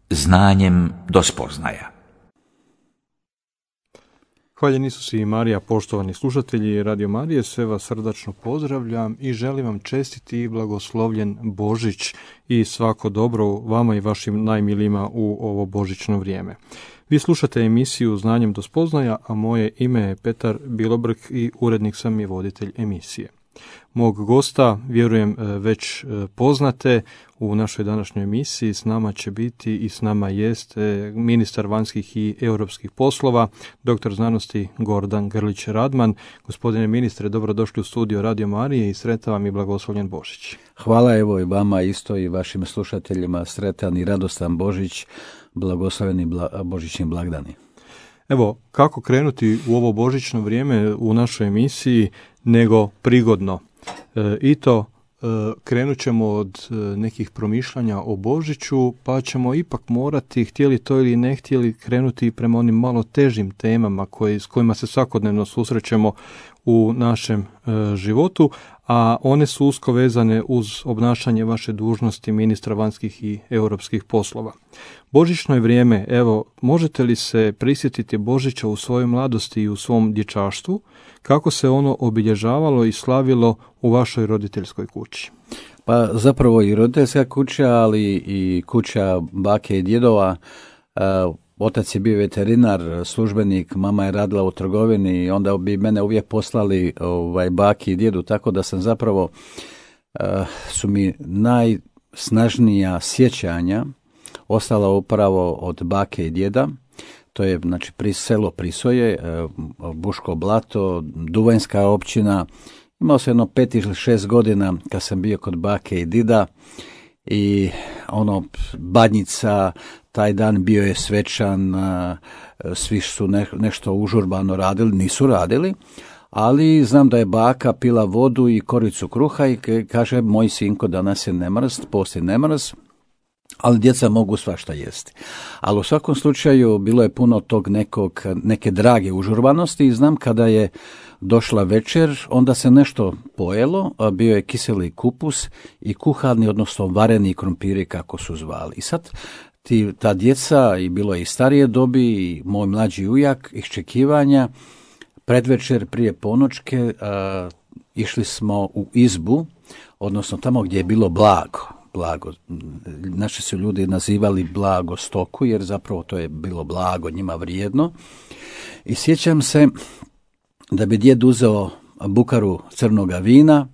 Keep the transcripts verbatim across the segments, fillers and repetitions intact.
znanjem do spoznaja. Hvaljen Isus i Marija, poštovani slušatelji Radio Marije, sve vas srdačno pozdravljam i želim vam čestiti i blagoslovljen Božić i svako dobro vama i vašim najmilijima u ovo božićno vrijeme. Vi slušate emisiju Znanjem do spoznaja, a moje ime je Petar Bilobrk i urednik sam i voditelj emisije. Mog gosta, vjerujem, već poznate u našoj današnjoj emisiji. S nama će biti i s nama jest ministar vanjskih i europskih poslova, doktor znanosti Gordan Grlić Radman. Gospodine ministre, dobrodošli u studio Radio Marije i sretan vam i blagoslovljen Božić. Hvala, evo i vama isto i vašim slušateljima sretan i radostan Božić, blagosloveni bla, božićni blagdani. Evo, kako krenuti u ovo božićno vrijeme u našoj emisiji nego prigodno. E, I to e, krenut ćemo od e, nekih promišljanja o Božiću, pa ćemo ipak morati, htjeli to ili ne htjeli, krenuti prema onim malo težim temama koji, s kojima se svakodnevno susrećemo u našem e, životu, a one su usko vezane uz obnašanje vaše dužnosti ministra vanjskih i europskih poslova. Božićno je vrijeme, evo, možete li se prisjetiti Božića u svojoj mladosti i u svom dječaštvu, kako se ono obilježavalo i slavilo u vašoj roditeljskoj kući? Pa zapravo i roditeljska kuća, ali i kuća bake i djedova. Otac je bio veterinar, službenik, mama je radila u trgovini i onda bi mene uvijek poslali ovaj, baki i djedu, tako da sam zapravo, uh, su mi najsnažnija sjećanja ostala upravo od bake i djeda. To je znači pri selo Prisoje, uh, Buško Blato, Duvanjska općina. Imao sam jedno pet ili šest godina kad sam bio kod bake i dida i ono, Badnjica, taj dan bio je svečan, svi su ne, nešto užurbano radili, nisu radili, ali znam da je baka pila vodu i koricu kruha i kaže, moj sinko, danas je nemrst, poslije nemrst, ali djeca mogu svašta jesti. Ali u svakom slučaju bilo je puno tog nekog, neke drage užurbanosti i znam kada je došla večer, onda se nešto pojelo, bio je kiseli kupus i kuhani, odnosno vareni krompiri kako su zvali. I sad ti, ta djeca, i bilo je i starije dobi, i moj mlađi ujak, iščekivanja, predvečer prije ponoćke a, išli smo u izbu, odnosno tamo gdje je bilo blago. blago. Naši su ljudi nazivali blago stoku, jer zapravo to je bilo blago, njima vrijedno. I sjećam se da bi djed uzeo bukaru crnoga vina,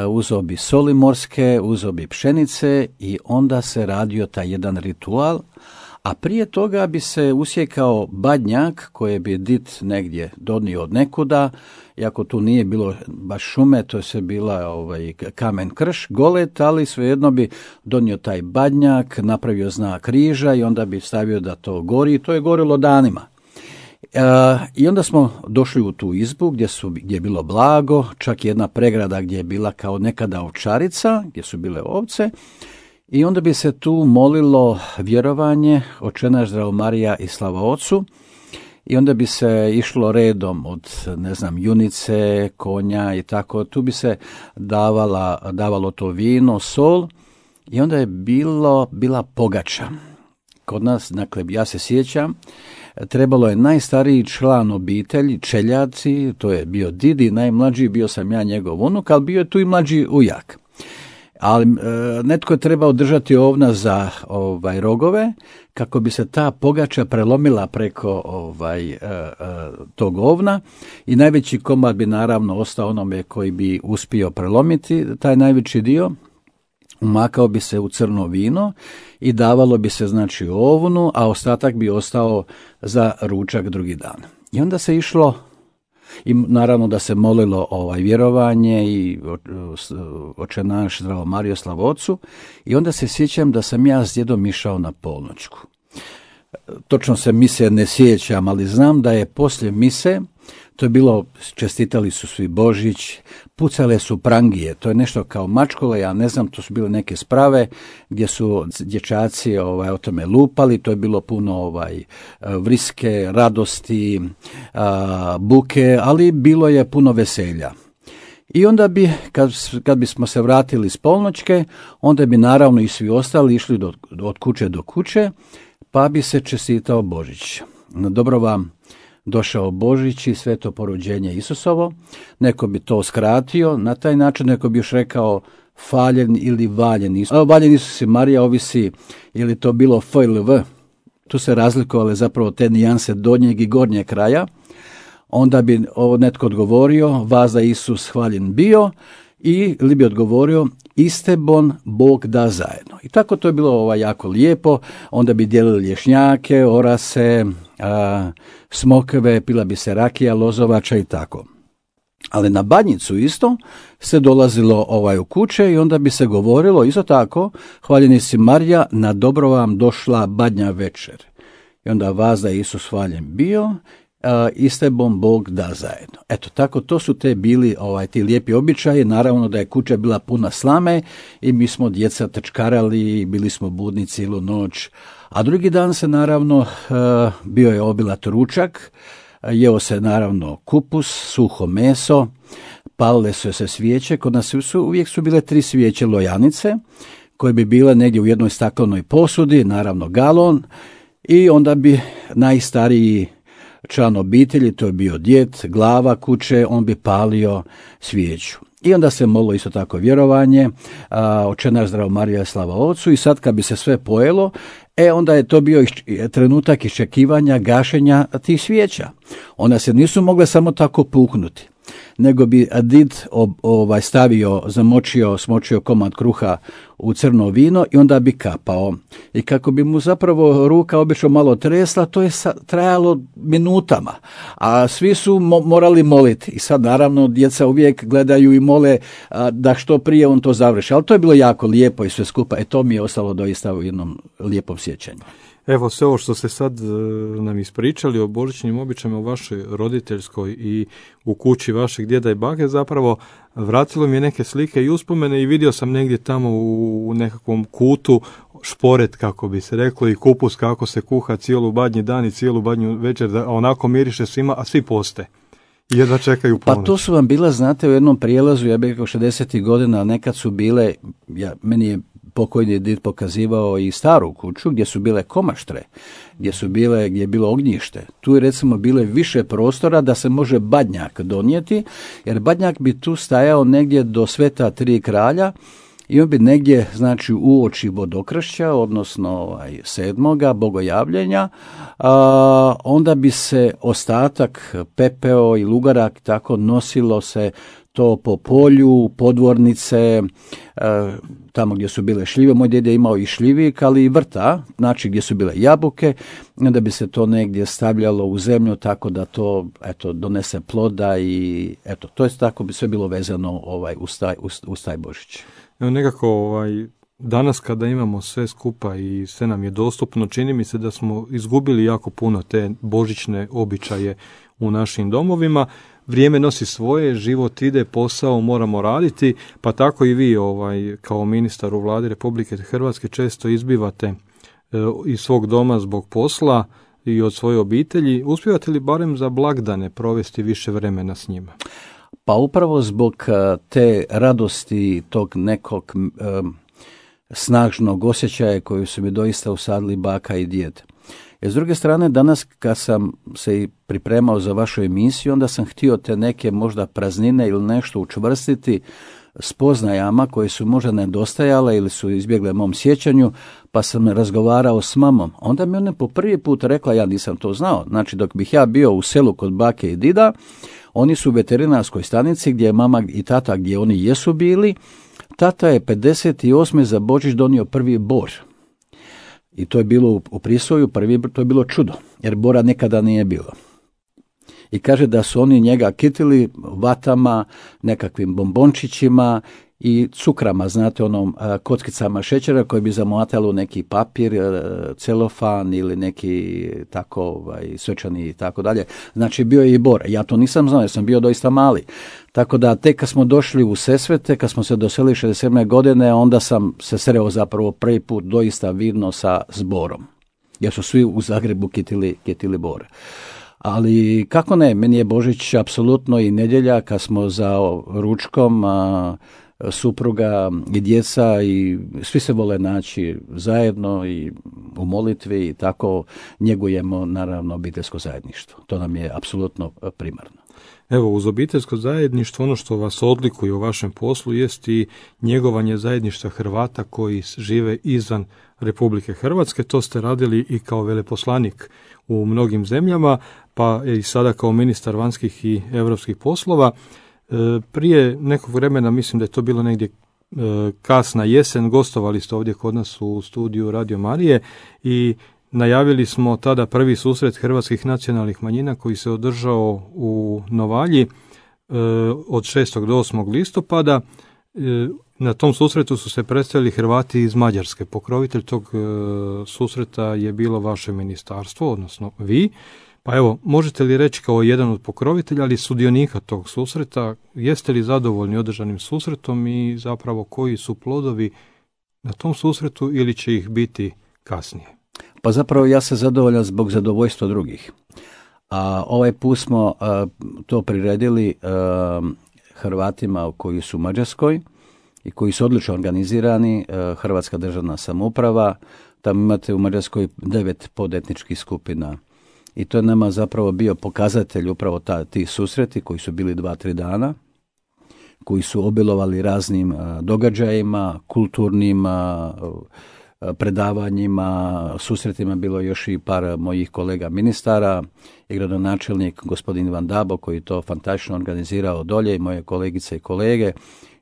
uzeo bi soli morske, uzeo bi pšenice i onda se radio taj jedan ritual, a prije toga bi se usjekao badnjak koje bi dit negdje donio od nekuda, iako tu nije bilo baš šume, to je se bila ovaj, kamen krš, golet, ali svejedno bi donio taj badnjak, napravio znak križa i onda bi stavio da to gori i to je gorilo danima. Uh, I onda smo došli u tu izbu gdje, su, gdje je bilo blago, čak jedna pregrada gdje je bila kao nekada ovčarica, gdje su bile ovce, i onda bi se tu molilo vjerovanje, Oče naš, Zdravo Marija i slava Ocu, i onda bi se išlo redom od, ne znam, junice, konja i tako, tu bi se davala, davalo to vino, sol, i onda je bilo, bila pogača. Kod nas, dakle, ja se sjećam, trebalo je najstariji član obitelji, čeljaci, to je bio didi, najmlađi, bio sam ja njegov unuk, ali bio je tu i mlađi ujak. Ali e, netko je trebao držati ovna za ovaj, rogove, kako bi se ta pogača prelomila preko ovaj, e, e, tog ovna i najveći komad bi naravno ostao onome koji bi uspio prelomiti taj najveći dio. Umakao bi se u crno vino i davalo bi se znači ovnu, a ostatak bi ostao za ručak drugi dan. I onda se išlo, i naravno da se molilo ovaj vjerovanje i Oče naš, Zdravo Marijo, slava Ocu, i onda se sjećam da sam ja s djedom išao na polnoćku. Točno se mise ne sjećam, ali znam da je poslije mise, to je bilo, čestitali su svi Božić, pucale su prangije, to je nešto kao mačkole, ja ne znam, to su bile neke sprave gdje su dječaci ovaj, o tome lupali, to je bilo puno ovaj, vriske, radosti, a, buke, ali bilo je puno veselja. I onda bi, kad, kad bismo se vratili s polnoćke, onda bi naravno i svi ostali išli do, od kuće do kuće, pa bi se čestitao Božić. Dobro vam došao Božić i sveto porođenje Isusovo. Neko bi to skratio na taj način, neko bi još rekao faljen ili valjen Isus. Valjen Isus i Marija, ovisi je li to bilo F ili V. Tu se razlikovale zapravo te nijanse donjeg i gornjeg kraja. Onda bi netko odgovorio, vas da Isus hvaljen bio, i li bi odgovorio, istebon Bog da zajedno. I tako to je bilo ovaj, jako lijepo. Onda bi dijelili lješnjake, orase, a, smokve, pila bi se rakija, lozovača i tako. Ali na Badnjicu isto se dolazilo ovaj u kuće i onda bi se govorilo isto tako, hvaljeni si Marija, na dobro vam došla badnja večer. I onda vas da Isus hvaljen bio, a, istebom Bog da zajedno. Eto, tako to su te bili ovaj, ti lijepi običaji. Naravno da je kuća bila puna slame i mi smo djeca trčkarali, bili smo budni cijelu noć. A drugi dan se naravno a, bio je obilat ručak, jeo se naravno kupus, suho meso, palile su se svijeće. Kod nas su, uvijek su bile tri svijeće lojanice, koje bi bile negdje u jednoj staklenoj posudi, naravno galon, i onda bi najstariji član obitelji, to je bio djed, glava kuće, on bi palio svijeću. I onda se molilo isto tako vjerovanje, Oče naš zdravo Marija slava Ocu, i sad kad bi se sve pojelo, e onda je to bio trenutak iščekivanja gašenja tih svijeća. Ona se nisu mogle samo tako puknuti, nego bi did ovaj, stavio, zamočio, smočio komad kruha u crno vino i onda bi kapao. I kako bi mu zapravo ruka obično malo tresla, to je trajalo minutama, a svi su mo- morali moliti. I sad naravno djeca uvijek gledaju i mole a, da što prije on to završi. Ali to je bilo jako lijepo i sve skupa. E to mi je ostalo doista u jednom lijepom sjećanju. Evo, sve ovo što ste sad nam ispričali o božićnim običajima u vašoj roditeljskoj i u kući vašeg djeda i bake, zapravo vratilo mi je neke slike i uspomene i vidio sam negdje tamo u nekakvom kutu šporet, kako bi se reklo, i kupus kako se kuha cijelu badnji dan i cijelu badnju večer, da onako miriše svima, a svi poste. I jedva čekaju ponoć. Pa to su vam bila, znate, u jednom prijelazu, ja bih rekao šezdesetih godina, nekad su bile, ja, meni je pokojni did pokazivao i staru kuću gdje su bile komaštre, gdje su bile, gdje je bilo ognjište. Tu je recimo bile više prostora da se može badnjak donijeti, jer badnjak bi tu stajao negdje do Sveta Tri kralja i on bi negdje, znači, uoči Vodokršća, odnosno ovaj, sedmoga bogojavljenja, a, onda bi se ostatak, pepeo i lugarak, tako nosilo se to po polju, podvornice, e, tamo gdje su bile šljive. Moj djed je imao i šljivik, ali i vrta, znači gdje su bile jabuke, onda bi se to negdje stavljalo u zemlju tako da to, eto, donese ploda i eto, to je tako bi sve bilo vezano ovaj, uz, taj, uz, uz taj Božić. Evo, nekako ovaj, danas kada imamo sve skupa i sve nam je dostupno, čini mi se da smo izgubili jako puno te božićne običaje u našim domovima. Vrijeme nosi svoje, život ide, posao moramo raditi, pa tako i vi ovaj, kao ministar u Vladi Republike Hrvatske često izbivate e, iz svog doma zbog posla i od svoje obitelji. Uspijevate li barem za blagdane provesti više vremena s njima? Pa upravo zbog te radosti, tog nekog um, snažnog osjećaja koju su mi doista usadili baka i djed. I s druge strane, danas kad sam se i pripremao za vašu emisiju, onda sam htio te neke možda praznine ili nešto učvrstiti spoznajama koje su možda nedostajale ili su izbjegle mom sjećanju, pa sam razgovarao s mamom. Onda mi ona po prvi put rekla, ja nisam to znao, znači dok bih ja bio u selu kod bake i dida, oni su u veterinarskoj stanici gdje je mama i tata, gdje oni jesu bili, tata je pedeset osme za Božić donio prvi bor. I to je bilo u Prisvoju, prvi, to je bilo čudo, jer bora nekada nije bilo. I kaže da su oni njega kitili vatama, nekakvim bombončićima i cukrama, znate, onom kockicama šećera koje bi zamotalo neki papir, celofan ili neki tako ovaj, svečani i tako dalje. Znači bio je i bor. Ja to nisam znao, jer sam bio doista mali. Tako da tek kad smo došli u Sesvete, kad smo se doselili šezdeset sedme godine, onda sam se sreo zapravo prvi put doista vidno sa zborom. Jer su svi u Zagrebu kitili, kitili bor. Ali kako ne, meni je Božić apsolutno i nedjelja kad smo za ručkom, a, supruga i djeca i svi se vole naći zajedno i u molitvi i tako njegujemo naravno obiteljsko zajedništvo. To nam je apsolutno primarno. Evo, uz obiteljsko zajedništvo ono što vas odlikuje u vašem poslu jest i njegovanje zajedništva Hrvata koji žive izvan Republike Hrvatske. To ste radili i kao veleposlanik u mnogim zemljama, pa i sada kao ministar vanjskih i europskih poslova. Prije nekog vremena, mislim da je to bilo negdje kasna jesen, gostovali ste ovdje kod nas u studiju Radio Marije i najavili smo tada prvi susret hrvatskih nacionalnih manjina koji se održao u Novalji od šestog do osmog listopada. Na tom susretu su se predstavili Hrvati iz Mađarske. Pokrovitelj tog susreta je bilo vaše ministarstvo, odnosno vi. Pa evo, možete li reći kao jedan od pokrovitelja, ali sudionika tog susreta, jeste li zadovoljni održanim susretom i zapravo koji su plodovi na tom susretu ili će ih biti kasnije? Pa zapravo ja sam zadovoljan zbog zadovoljstva drugih. A ovaj put smo a, to priredili a, Hrvatima koji su u Mađarskoj i koji su odlično organizirani, a, Hrvatska državna samouprava, tamo imate u Mađarskoj devet podetničkih skupina. I to je nama zapravo bio pokazatelj upravo ta, ti susreti koji su bili dva, tri dana, koji su obilovali raznim a, događajima, kulturnim a, predavanjima, susretima, bilo još i par mojih kolega ministara i gradonačelnik gospodin Ivan Dabo koji to fantastično organizirao dolje i moje kolegice i kolege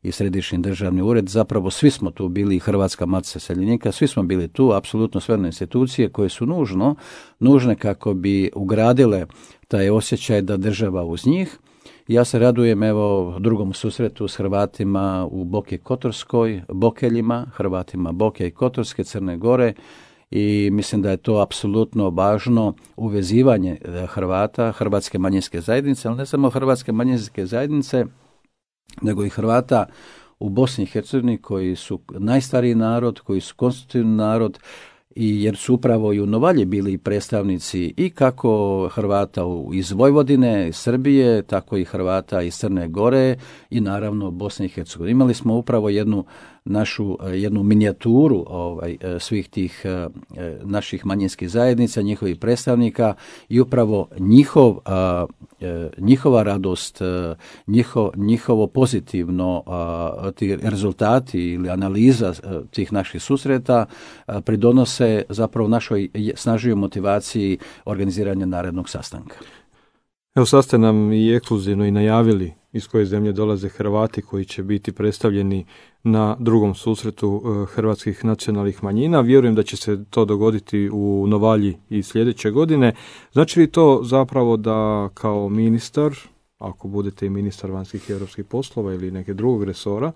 i Središnji državni ured. Zapravo svi smo tu bili, Hrvatska matica iseljenika, svi smo bili tu, apsolutno sve institucije koje su nužno, nužne kako bi ugradile taj osjećaj da država uz njih. Ja se radujem evo drugom susretu s Hrvatima u Boki Kotorskoj, Bokeljima, Hrvatima Boke i Kotorske, Crne Gore i mislim da je to apsolutno važno uvezivanje Hrvata, hrvatske manjinske zajednice, ali ne samo hrvatske manjinske zajednice, nego i Hrvata u Bosni i Hercegovini koji su najstariji narod, koji su konstitutivni narod, i jer su upravo i u Novalji bili predstavnici i kako Hrvata iz Vojvodine, Srbije, tako i Hrvata iz Crne Gore i naravno Bosne i Hercegovine. Imali smo upravo jednu našu jednu minijaturu ovaj, svih tih eh, naših manjinskih zajednica, njihovih predstavnika i upravo njihov, eh, njihova radost, eh, njiho, njihovo pozitivno eh, ti rezultati ili analiza eh, tih naših susreta eh, pridonose zapravo našoj snažnijoj motivaciji organiziranja narednog sastanka. Evo sad ste nam i ekskluzivno i najavili iz koje zemlje dolaze Hrvati koji će biti predstavljeni na drugom susretu hrvatskih nacionalnih manjina. Vjerujem da će se to dogoditi u Novalji i sljedeće godine. Znači li to zapravo da kao ministar, ako budete i ministar vanjskih i europskih poslova ili neke drugog resora,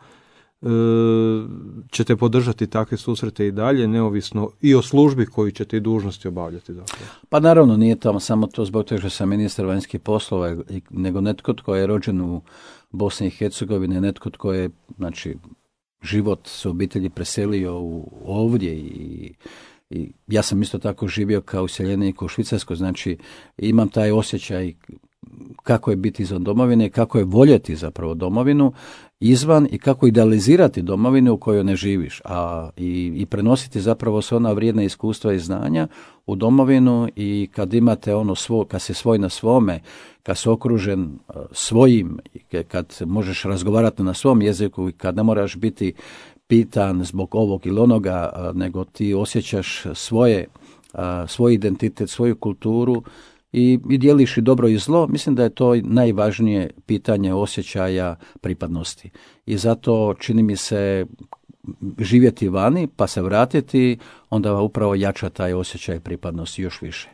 ćete podržati takve susrete i dalje, neovisno i o službi koju ćete i dužnosti obavljati? Zapravo. Pa naravno, nije to samo to zbog toga što sam ministar vanjskih poslova, nego netko tko je rođen u Bosni i Hercegovini, netko tko je, znači, život sa obitelji preselio u, ovdje i, i ja sam isto tako živio kao useljenik u Švicarskoj, znači imam taj osjećaj kako je biti izvan domovine, kako je voljeti zapravo domovinu izvan i kako idealizirati domovinu u kojoj ne živiš, a i, i prenositi zapravo sve ona vrijedna iskustva i znanja u domovinu i kad imate ono svo, kad si svoj na svome, kad si okružen svojim, kad možeš razgovarati na svom jeziku i kad ne moraš biti pitan zbog ovog ili onoga, nego ti osjećaš svoje, svoj identitet, svoju kulturu, I, i dijeliš i dobro i zlo, mislim da je to najvažnije pitanje osjećaja pripadnosti. I zato čini mi se živjeti vani pa se vratiti, onda upravo jača taj osjećaj pripadnosti još više.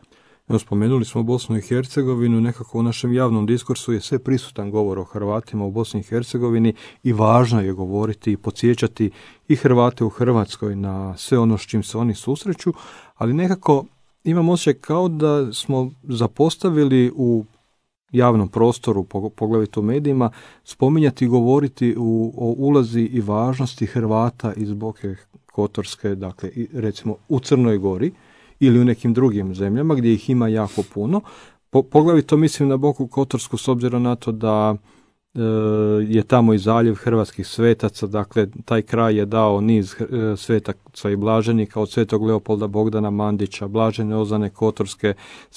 Evo, spomenuli smo Bosnu i Hercegovinu, nekako u našem javnom diskursu je sve prisutan govor o Hrvatima u Bosni i Hercegovini i važno je govoriti i podsjećati i Hrvate u Hrvatskoj na sve ono s čim se oni susreću, ali nekako imam osjećaj kao da smo zapostavili u javnom prostoru, poglavito u medijima, spominjati i govoriti u, o ulazi i važnosti Hrvata iz Boke Kotorske, dakle recimo u Crnoj Gori ili u nekim drugim zemljama gdje ih ima jako puno, Po, poglavito mislim na Boku Kotorsku s obzirom na to da e, je tamo i zaljev hrvatskih svetaca, dakle taj kraj je dao niz e, svetaca i blaženika od svetog Leopolda Bogdana Mandića, blažene Ozane Kotorske,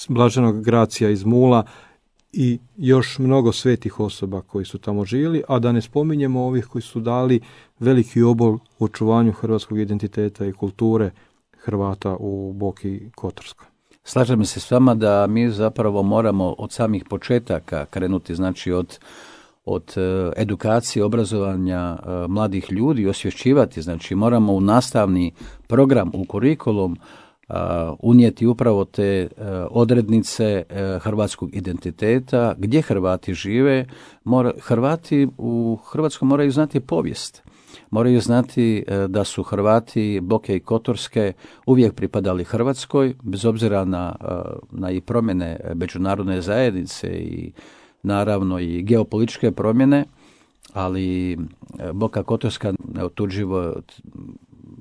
blaženog Gracija iz Mula i još mnogo svetih osoba koji su tamo živjeli, a da ne spominjemo ovih koji su dali veliki obol u očuvanju hrvatskog identiteta i kulture Hrvata u Boki Kotorskoj. Slažem se s vama da mi zapravo moramo od samih početaka krenuti, znači od, od edukacije, obrazovanja mladih ljudi i osvješćivati, znači moramo u nastavni program, u kurikulum Uh, unijeti upravo te uh, odrednice uh, hrvatskog identiteta, gdje Hrvati žive. Mora, Hrvati u Hrvatskoj moraju znati povijest. Moraju znati uh, da su Hrvati Boke i Kotorske uvijek pripadali Hrvatskoj, bez obzira na, uh, na i promjene međunarodne zajednice i naravno i geopolitičke promjene, ali uh, Boka Kotorska neotuđivo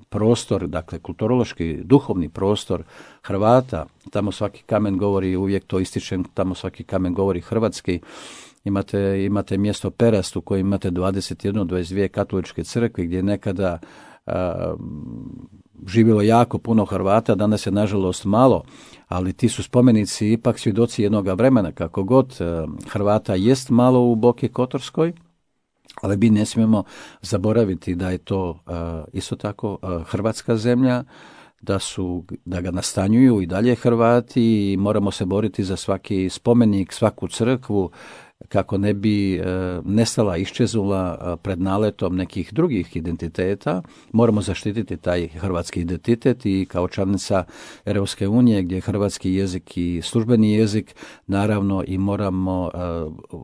prostor, dakle kulturološki, duhovni prostor Hrvata, tamo svaki kamen govori, uvijek to ističem, tamo svaki kamen govori hrvatski. Imate, imate mjesto Perast u kojem imate dvadeset jednu, dvadeset dvije katoličke crkve gdje je nekada a, živjelo jako puno Hrvata, danas je nažalost malo, ali ti su spomenici ipak svjedoci jednoga vremena, kako god a, Hrvata jest malo u Boki Kotorskoj, ali mi ne smijemo zaboraviti da je to uh, isto tako uh, hrvatska zemlja, da su da ga nastanjuju i dalje Hrvati i moramo se boriti za svaki spomenik, svaku crkvu kako ne bi e, nestala, iščeznula pred naletom nekih drugih identiteta. Moramo zaštititi taj hrvatski identitet i kao članica Europske unije gdje je hrvatski jezik i službeni jezik, naravno i moramo e,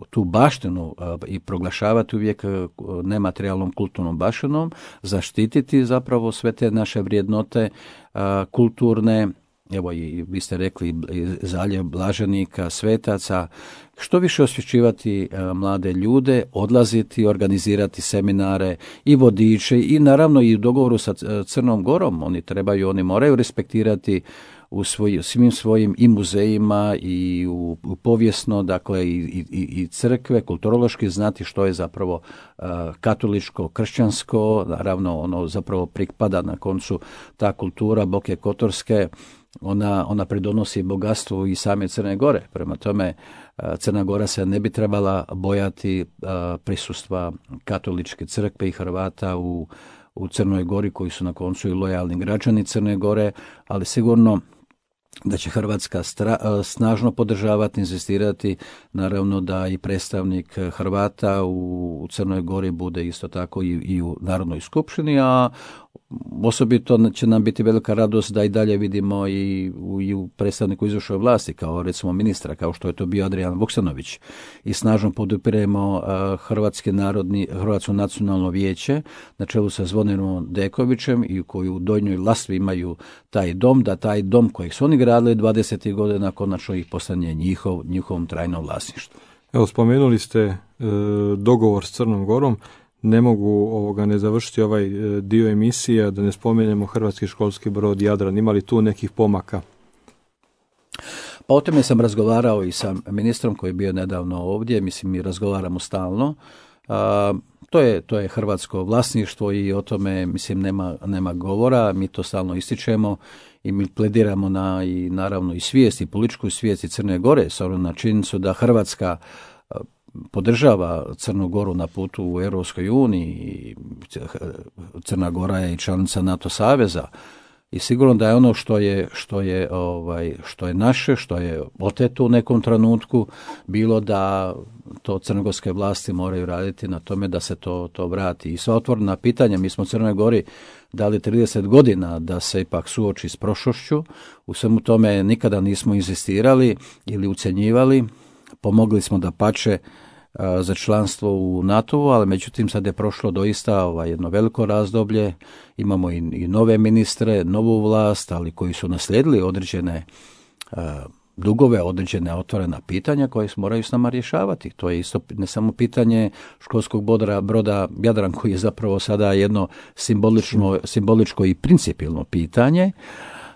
tu baštinu e, i proglašavati uvijek e, nematerijalnom kulturnom baštinom, zaštititi zapravo sve te naše vrijednote e, kulturne. Evo i vi ste rekli zaljev blaženika, svetaca, što više osvješćivati e, mlade ljude, odlaziti, organizirati seminare i vodiče i naravno i u dogovoru sa Crnom Gorom, oni trebaju, oni moraju respektirati u svoj, svim svojim i muzejima i u, u povijesno, dakle i, i, i crkve, kulturološki znati što je zapravo uh, katoličko, kršćansko, naravno ono zapravo pripada na koncu ta kultura Boke Kotorske, ona, ona pridonosi bogatstvu i same Crne Gore. Prema tome, uh, Crna Gora se ne bi trebala bojati uh, prisustva katoličke crkve i Hrvata u, u Crnoj Gori koji su na koncu i lojalni građani Crne Gore, ali sigurno da će Hrvatska stra, snažno podržavati, inzistirati, naravno da i predstavnik Hrvata u, u Crnoj Gori bude isto tako i, i u Narodnoj skupštini, a osobito će nam biti velika radost da i dalje vidimo i u, i u predstavniku izvršne vlasti, kao recimo ministra, kao što je to bio Adrijan Vuksanović. I snažno podupiremo uh, Hrvatski narodni, Hrvatsko nacionalno vijeće na čelu sa Zvonirom Dekovićem i koji u Donjoj Lastvi imaju taj dom, da taj dom kojeg su oni gradili dvadesetih godina konačno ih postane njihov, njihovom trajnom vlasništvu. Evo, spomenuli ste e, dogovor s Crnom Gorom. Ne mogu ovoga ne završiti ovaj e, dio emisije da ne spomenemo hrvatski školski brod Jadran. Ima li tu nekih pomaka? Pa o tome sam razgovarao i sa ministrom koji je bio nedavno ovdje. Mislim, mi razgovaramo stalno. A, to je, to je hrvatsko vlasništvo i o tome, mislim, nema, nema govora. Mi to stalno ističemo i mi plediramo na i naravno i svijest i političku svijest i Crne Gore, s obzirom na činjenicu da Hrvatska podržava Crnu Goru na putu u Europskoj uniji. Crna Gora je i članica NATO saveza i sigurno da je ono što je što je ovaj što je naše, što je oteto u nekom trenutku bilo da to crnogorske vlasti moraju raditi na tome da se to to vrati. I sva otvorena pitanja, mi smo Crnoj Gori dali trideset godina da se ipak suoči s prošlošću. U svemu tome nikada nismo inzistirali ili ucjenjivali. Pomogli smo da pače za članstvo u NATO-u, ali međutim sad je prošlo doista ovaj, jedno veliko razdoblje. Imamo i, i nove ministre, novu vlast, ali koji su naslijedili određene uh, dugove, određene otvorena pitanja koje moraju s nama rješavati. To je isto ne samo pitanje školskog broda, broda Jadran koji je zapravo sada jedno simbolično, simboličko i principijelno pitanje.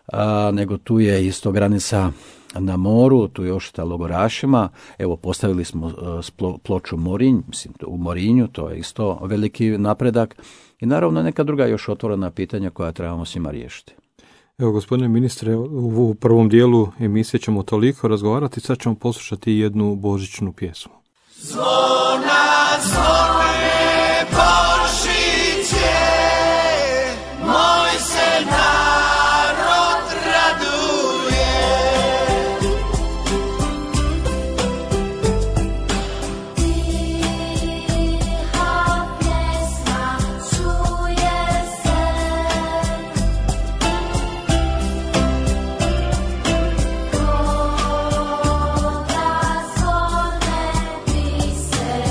a, nego tu je isto granica na moru, tu još ta logorašima. Evo, postavili smo uh, ploču Morinj, mislim, u Morinju, to je isto veliki napredak. I naravno neka druga još otvorena pitanja koja trebamo svima riješiti. Evo, gospodine ministre, u prvom dijelu emisije ćemo toliko razgovarati, sad ćemo poslušati jednu božićnu pjesmu. Zvona, zvone, Božiće, moj se narod raduje. Tiha pjesma čuje se, koga zvone viseli.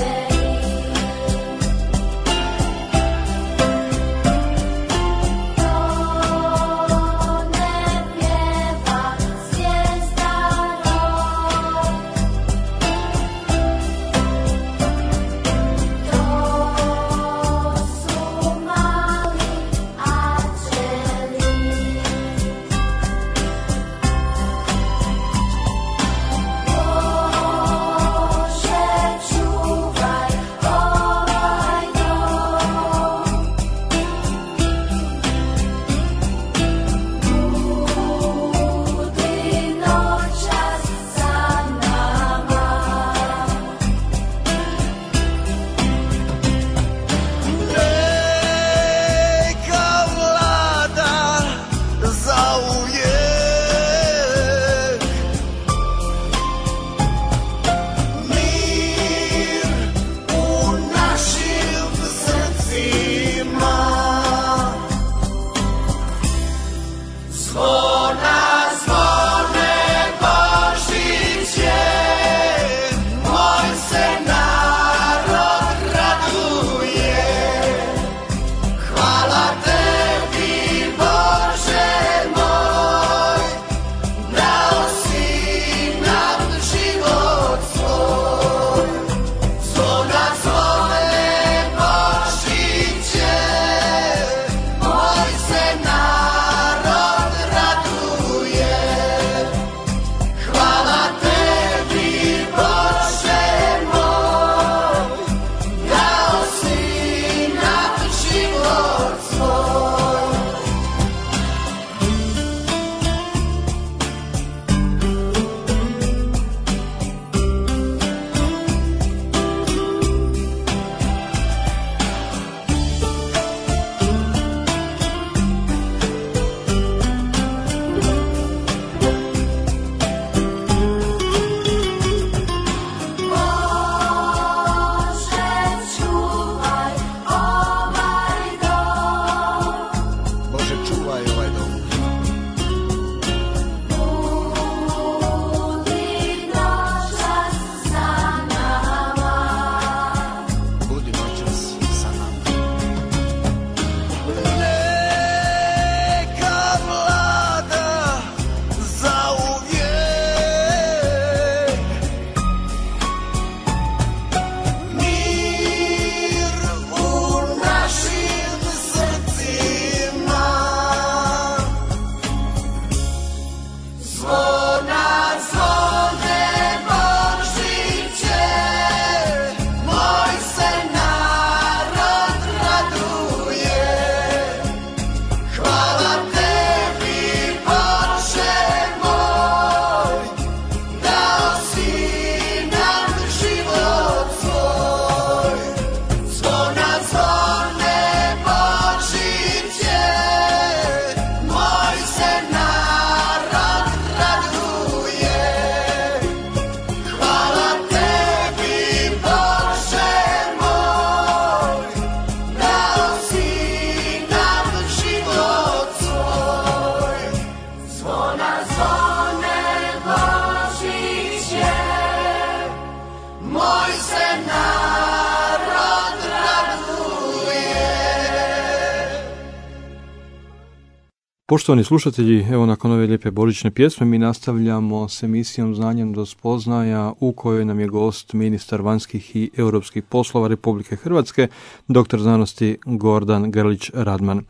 Poštovani slušatelji, evo nakon ove lijepe božićne pjesme mi nastavljamo s emisijom Znanjem do spoznaja u kojoj nam je gost ministar vanjskih i europskih poslova Republike Hrvatske, doktor znanosti Gordan Grlić Radman.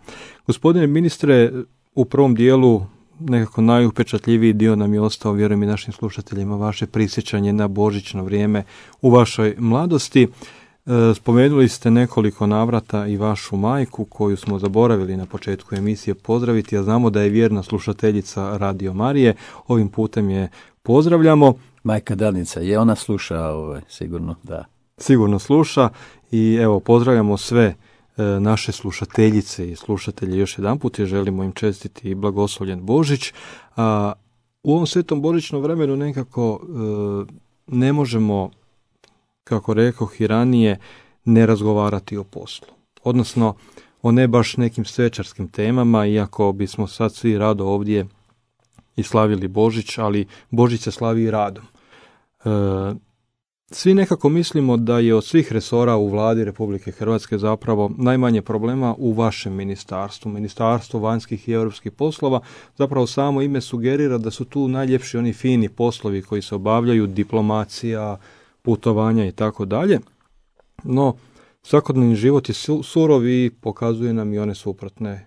Gospodine ministre, u prvom dijelu nekako najupečatljiviji dio nam je ostao, vjerujem i našim slušateljima, vaše prisjećanje na božićno vrijeme u vašoj mladosti. Spomenuli ste nekoliko navrata i vašu majku koju smo zaboravili na početku emisije pozdraviti, a znamo da je vjerna slušateljica Radio Marije. Ovim putem je pozdravljamo. Majka Danica, je ona sluša, ovaj, sigurno, da. Sigurno sluša i evo pozdravljamo sve e, naše slušateljice i slušatelje još jedanput i želimo im čestiti blagoslovljen Božić. A u ovom svetom božićnom vremenu nekako e, ne možemo, kako rekoh i ranije, ne razgovarati o poslu. Odnosno o ne baš nekim svečarskim temama, iako bismo sad svi rado ovdje i slavili Božić, ali Božić se slavi i radom. E, svi nekako mislimo da je od svih resora u vladi Republike Hrvatske zapravo najmanje problema u vašem ministarstvu, Ministarstvo vanjskih i europskih poslova. Zapravo samo ime sugerira da su tu najljepši oni fini poslovi koji se obavljaju, diplomacija, putovanja i tako dalje. No, svakodnevni život je surov i pokazuje nam i one suprotne e,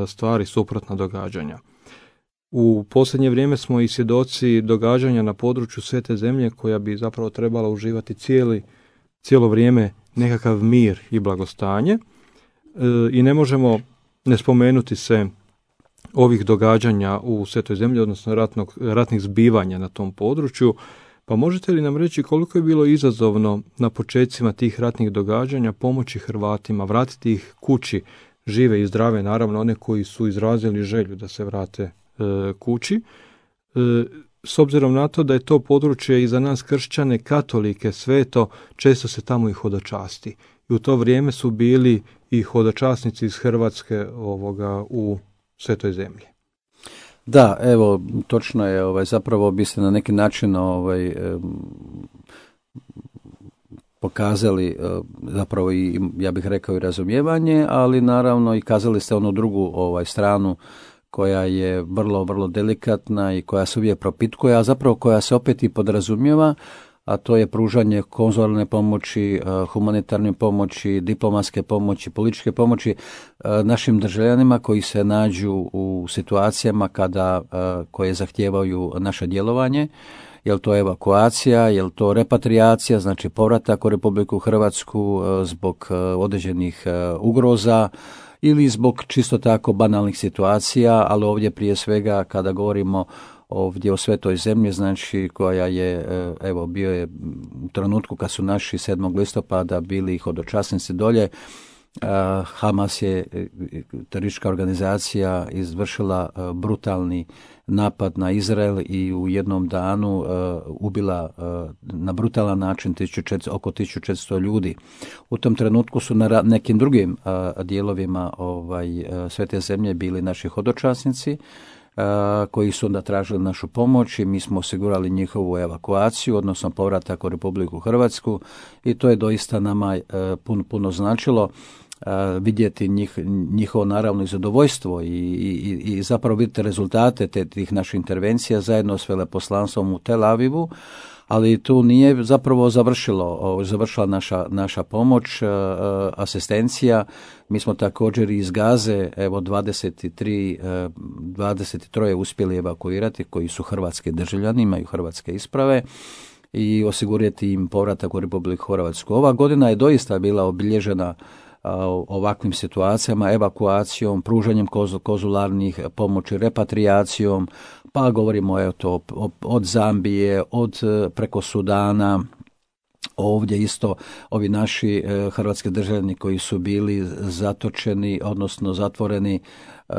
stvari, suprotna događanja. U posljednje vrijeme smo i svjedoci događanja na području Svete Zemlje koja bi zapravo trebala uživati cijeli, cijelo vrijeme nekakav mir i blagostanje. E, I ne možemo ne spomenuti se ovih događanja u Svetoj Zemlji, odnosno ratnog, ratnih zbivanja na tom području. Pa možete li nam reći koliko je bilo izazovno na početcima tih ratnih događanja pomoći Hrvatima, vratiti ih kući, žive i zdrave, naravno one koji su izrazili želju da se vrate e, kući, e, s obzirom na to da je to područje i za nas kršćane, katolike, sveto, često se tamo i hodočasti. I u to vrijeme su bili i hodočasnici iz Hrvatske ovoga u Svetoj Zemlji. Da, evo, točno je, ovaj, zapravo bi se na neki način ovaj, eh, pokazali eh, zapravo i, ja bih rekao, i razumijevanje, ali naravno i kazali ste onu drugu ovaj, stranu koja je vrlo, vrlo delikatna i koja se uvijek propitkuje, a zapravo koja se opet i podrazumijeva, a to je pružanje konzularne pomoći, humanitarne pomoći, diplomatske pomoći, političke pomoći našim državljanima koji se nađu u situacijama kada, koje zahtijevaju naše djelovanje. Je li to evakuacija, je li to repatriacija, znači povratak u Republiku Hrvatsku zbog određenih ugroza ili zbog čisto tako banalnih situacija, ali ovdje prije svega kada govorimo ovdje o Svetoj Zemlji, znači koja je, evo, bio je u trenutku kad su naši sedmog listopada bili hodočasnici dolje, Hamas je, teroristička organizacija, izvršila brutalni napad na Izrael i u jednom danu ubila na brutalan način oko tisuću četiristo ljudi. U tom trenutku su na nekim drugim dijelovima ovaj, Svete Zemlje bili naši hodočasnici, Uh, koji su onda tražili našu pomoć i mi smo osigurali njihovu evakuaciju, odnosno povratak u Republiku Hrvatsku i to je doista nama uh, puno, puno značilo uh, vidjeti njih, njihovo naravno i zadovoljstvo i, i, i zapravo vidjeti rezultate te, tih naših intervencija zajedno s veleposlanstvom u Tel Avivu, ali tu nije zapravo završilo, završila naša, naša pomoć, asistencija. Mi smo također iz Gaze, evo dvadeset tri, dvadeset tri uspjeli evakuirati koji su hrvatski državljani, imaju hrvatske isprave i osigurati im povratak u Republiku Hrvatsku. Ova godina je doista bila obilježena ovakvim situacijama, evakuacijom, pružanjem konzularnih pomoći, repatriacijom, pa govorimo evo to od Zambije, od preko Sudana, ovdje isto ovi naši hrvatski državljani koji su bili zatočeni, odnosno zatvoreni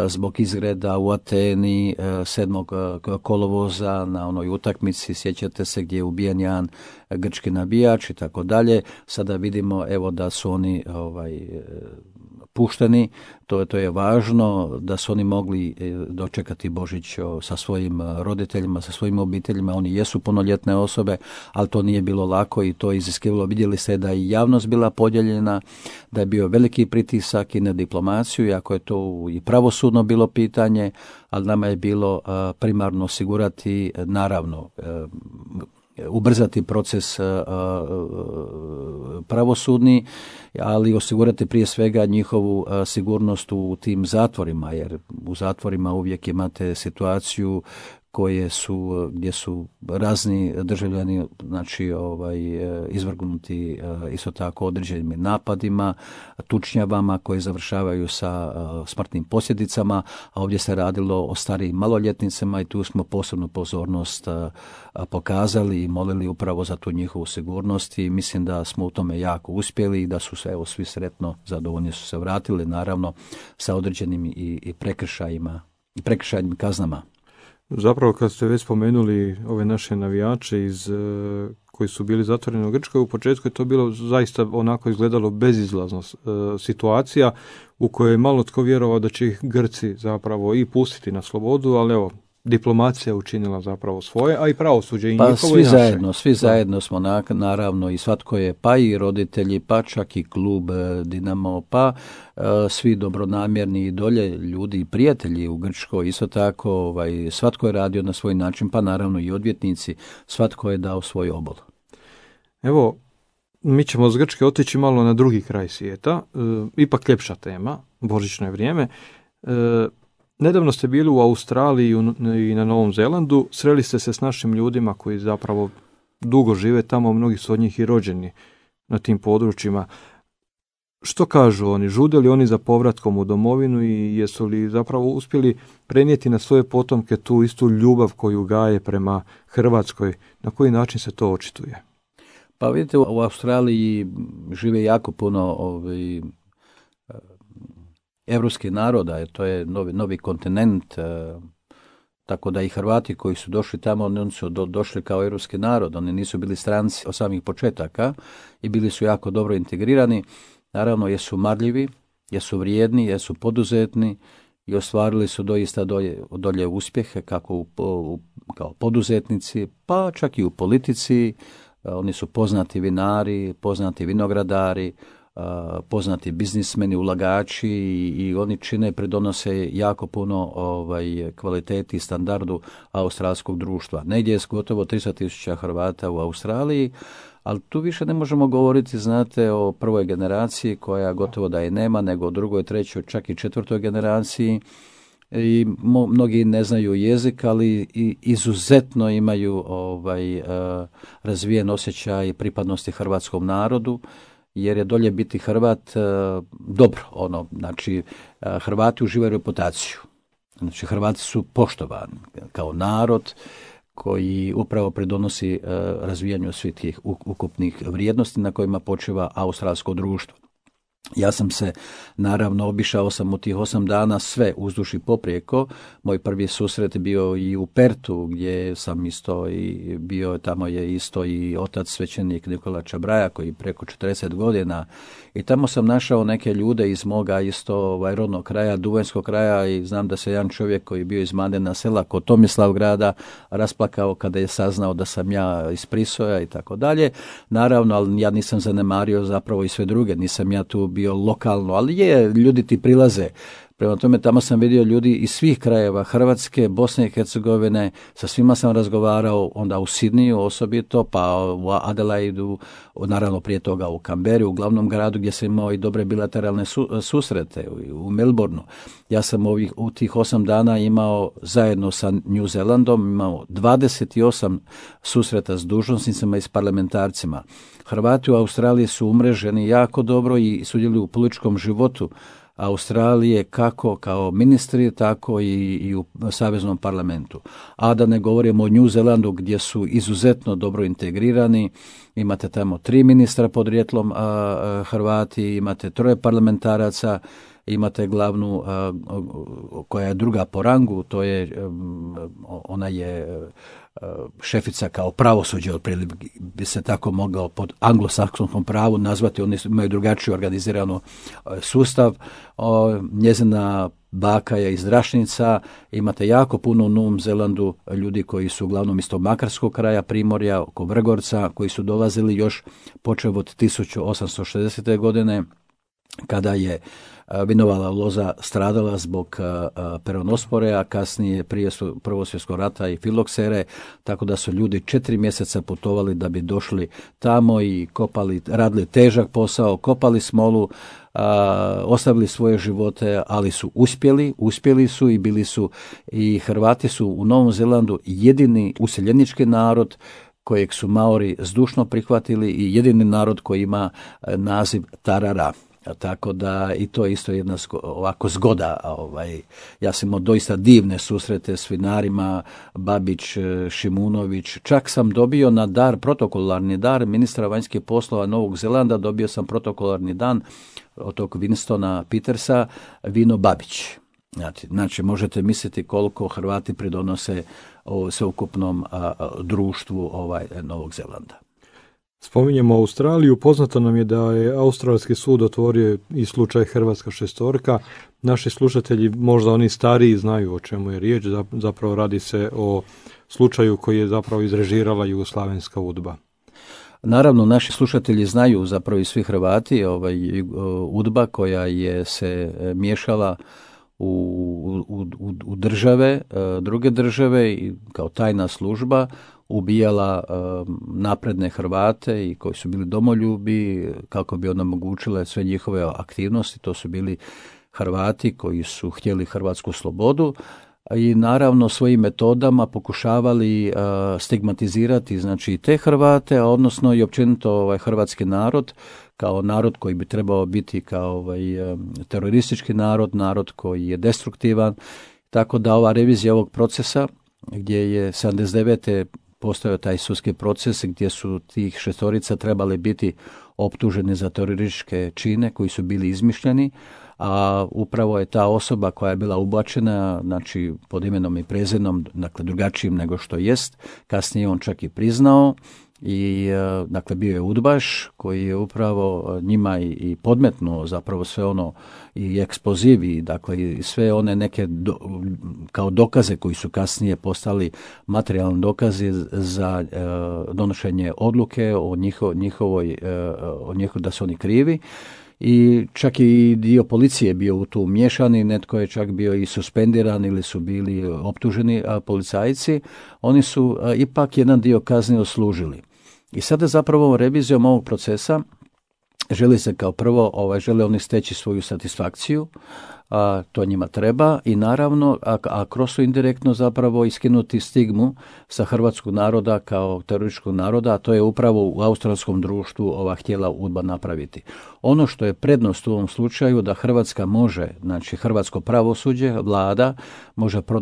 zbog izgreda u Ateni sedmog kolovoza na onoj utakmici, sjećate se, gdje je ubijen jedan grčki navijač i tako dalje. Sada vidimo evo da su oni ovaj pušteni, to, to je važno, da su oni mogli dočekati Božić sa svojim roditeljima, sa svojim obiteljima. Oni jesu punoljetne osobe, ali to nije bilo lako i to je iziskivalo. Vidjeli ste da je javnost bila podijeljena, da je bio veliki pritisak i na diplomaciju, iako je to i pravosudno bilo pitanje, ali nama je bilo primarno osigurati, naravno, ubrzati proces pravosudni, ali osigurati prije svega njihovu sigurnost u tim zatvorima, jer u zatvorima uvijek imate situaciju koje su, gdje su razni državljani, znači ovaj, izvrgnuti isto tako određenim napadima, tučnjavama koje završavaju sa smrtnim posljedicama, a ovdje se radilo o starijim maloljetnicama i tu smo posebnu pozornost pokazali i molili upravo za tu njihovu sigurnost i mislim da smo u tome jako uspjeli i da su se evo svi sretno zadovoljni su se vratili, naravno sa određenim i, i prekršajima i prekršajnim kaznama. Zapravo kad ste već spomenuli ove naše navijače iz, koji su bili zatvoreni u Grčkoj, u početku je to bilo zaista onako izgledalo bezizlazno situacija u kojoj je malo tko vjerovao da će ih Grci zapravo i pustiti na slobodu, ali evo, diplomacija učinila zapravo svoje, a i pravosuđe i pa njihovo svi i naše. zajedno, svi zajedno smo na, naravno i svatko je, pa i roditelji, pa čak i klub Dinamo, pa uh, svi dobronamjerni i dolje ljudi i prijatelji u Grčkoj, isto tako ovaj, svatko je radio na svoj način, pa naravno i odvjetnici, svatko je dao svoj obol. Evo, mi ćemo s Grčke otići malo na drugi kraj svijeta, e, ipak ljepša tema, božićno je vrijeme. E, Nedavno ste bili u Australiji i na Novom Zelandu, sreli ste se s našim ljudima koji zapravo dugo žive tamo, mnogi su od njih i rođeni na tim područjima. Što kažu oni? Žude li oni za povratkom u domovinu i jesu li zapravo uspjeli prenijeti na svoje potomke tu istu ljubav koju gaje prema Hrvatskoj? Na koji način se to očituje? Pa vidite, u Australiji žive jako puno ovaj, evropskih naroda, jer to je novi, novi kontinent, e, tako da i Hrvati koji su došli tamo, oni su do, došli kao evropski narod, oni nisu bili stranci od samih početaka i bili su jako dobro integrirani. Naravno, jesu marljivi, jesu vrijedni, jesu poduzetni i ostvarili su doista dolje, dolje uspjehe kako u, u, kao poduzetnici, pa čak i u politici. E, oni su poznati vinari, poznati vinogradari, Uh, poznati biznismeni, ulagači i, i oni čine, pridonose jako puno ovaj, kvaliteti i standardu australskog društva. Negdje je gotovo tristo tisuća Hrvata u Australiji, ali tu više ne možemo govoriti, znate, o prvoj generaciji koja gotovo da je nema, nego o drugoj, trećoj, čak i četvrtoj generaciji. I mo, mnogi ne znaju jezik, ali i izuzetno imaju ovaj, uh, razvijen osjećaj pripadnosti hrvatskom narodu, jer je dolje biti Hrvat e, dobro, ono, znači e, Hrvati uživaju reputaciju. Znači Hrvati su poštovani kao narod koji upravo pridonosi e, razvijanju svih tih ukupnih vrijednosti na kojima počeva australsko društvo. Ja sam se, naravno, obišao sam u tih osam dana sve uzduž i poprijeko. Moj prvi susret bio i u Pertu, gdje sam isto i bio, tamo je isto i otac svećenik Nikola Čabraja, koji preko četrdeset godina. I tamo sam našao neke ljude iz moga isto ovaj, rodnog kraja, duvanjskog kraja, i znam da se jedan čovjek koji je bio iz Mladena sela kod Tomislavgrada rasplakao kada je saznao da sam ja iz Prisoja i tako dalje. Naravno, ali ja nisam zanemario zapravo i sve druge, nisam ja tu bio lokalno, ali je, ljudi ti prilaze. Prema tome, tamo sam vidio ljudi iz svih krajeva Hrvatske, Bosne i Hercegovine, sa svima sam razgovarao, onda u Sidniju osobito, pa u Adelaidu, naravno prije toga u Kamberi, u glavnom gradu gdje sam imao i dobre bilateralne su, susrete, u, u Melbourneu. Ja sam ovih, u tih osam dana imao zajedno sa New Zealandom, imao dvadeset osam susreta s dužnosnicima i s parlamentarcima. Hrvati u Australiji su umreženi jako dobro i sudjeluju u političkom životu Australije, kako kao ministri, tako i, i u saveznom parlamentu. A da ne govorimo o New Zealandu, gdje su izuzetno dobro integrirani. Imate tamo tri ministra podrijetlom a, a, Hrvati, imate troje parlamentaraca, imate glavnu a, koja je druga po rangu, to je, ona je šefica kao pravosuđe, otprilike bi se tako mogao pod anglosaksonskom pravu nazvati, oni imaju drugačiju organiziranu sustav. O, njezina baka je iz Rašnica, imate jako puno u Novom Zelandu ljudi koji su uglavnom iz tog makarskog kraja, Primorja, oko Vrgorca, koji su dolazili još počev od tisuću osamsto šezdesete godine, kada je Vinova loza stradala zbog peronospore, a kasnije prije su Prvog svjetskog rata i filoksere, tako da su ljudi četiri mjeseca putovali da bi došli tamo i kopali, radili težak posao, kopali smolu, a, ostavili svoje živote, ali su uspjeli, uspjeli su i bili su, i Hrvati su u Novom Zelandu jedini useljenički narod kojeg su Maori zdušno prihvatili i jedini narod koji ima naziv Tarara. Tako da i to je isto jedna zgo, ovako zgoda. Ovaj, ja sam imao doista divne susrete s vinarima, Babić, Šimunović. Čak sam dobio na dar, protokolarni dar ministra vanjskih poslova Novog Zelanda, dobio sam protokolarni dan od tog Winstona Petersa, vino Babić. Znači, znači možete misliti koliko Hrvati pridonose o sveukupnom a, a, društvu ovaj, Novog Zelanda. Spominjemo Australiju, poznato nam je da je Australski sud otvorio i slučaj Hrvatska šestorka. Naši slušatelji, možda oni stariji, znaju o čemu je riječ, zapravo radi se o slučaju koji je zapravo izrežirala Jugoslavenska udba. Naravno, naši slušatelji znaju, zapravo i svi Hrvati, ovaj, udba koja je se miješala u, u, u, u države, druge države i kao tajna služba ubijala napredne Hrvate i koji su bili domoljubi kako bi onemogućile sve njihove aktivnosti. To su bili Hrvati koji su htjeli hrvatsku slobodu i naravno svojim metodama pokušavali stigmatizirati znači te Hrvate, a odnosno i općenito ovaj hrvatski narod kao narod koji bi trebao biti kao ovaj teroristički narod, narod koji je destruktivan. Tako da ova revizija ovog procesa gdje je sedamdeset devete postojao taj sudski proces gdje su tih šestorica trebali biti optuženi za terorističke čine koji su bili izmišljeni, a upravo je ta osoba koja je bila ubačena, znači pod imenom i prezimenom, dakle drugačijim nego što jest, kasnije on čak i priznao i dakle bio je udbaš koji je upravo njima i, i podmetnuo zapravo sve ono i eksploziv i dakle i sve one neke do, kao dokaze koji su kasnije postali materijalni dokazi za e, donošenje odluke o njiho, njihovoj e, o njiho, da su oni krivi. I čak i dio policije bio u tu miješani, netko je čak bio i suspendiran ili su bili optuženi a, policajci. Oni su a, ipak jedan dio kazne odslužili. I sada zapravo revizijom ovog procesa želi se kao prvo, ovaj, žele oni steći svoju satisfakciju, a to njima treba i naravno, a, a kroz su indirektno zapravo iskinuti stigmu sa hrvatskog naroda kao terorističkog naroda, a to je upravo u australskom društvu ova htjela udba napraviti. Ono što je prednost u ovom slučaju da Hrvatska može, znači hrvatsko pravosuđe, vlada, može pro,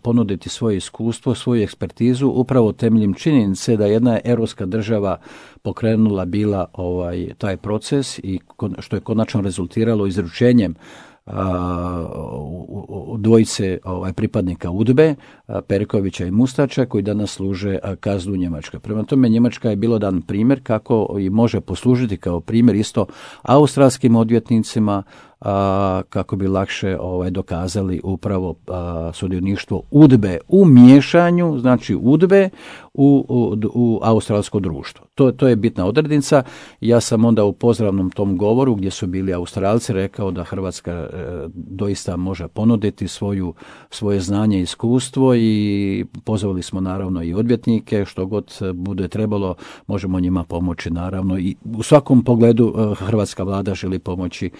ponuditi svoje iskustvo, svoju ekspertizu upravo temeljem činjenice da jedna europska država pokrenula bila ovaj taj proces i što je konačno rezultiralo izručenjem a, u, u dvojice ovaj, pripadnika udbe, a, Perkovića i Mustača, koji danas služe a, kaznu u Njemačkoj. Prema tome, Njemačka je bilo dan primjer kako i može poslužiti kao primjer isto australskim odvjetnicima, a, kako bi lakše ovaj, dokazali upravo a, sudioništvo udbe u miješanju, znači udbe u, u, u australsko društvo. To, to je bitna odrednica. Ja sam onda u pozdravnom tom govoru gdje su bili Australci rekao da Hrvatska e, doista može ponuditi svoju, svoje znanje i iskustvo i pozvali smo naravno i odvjetnike, što god bude trebalo možemo njima pomoći naravno i u svakom pogledu e, hrvatska vlada želi pomoći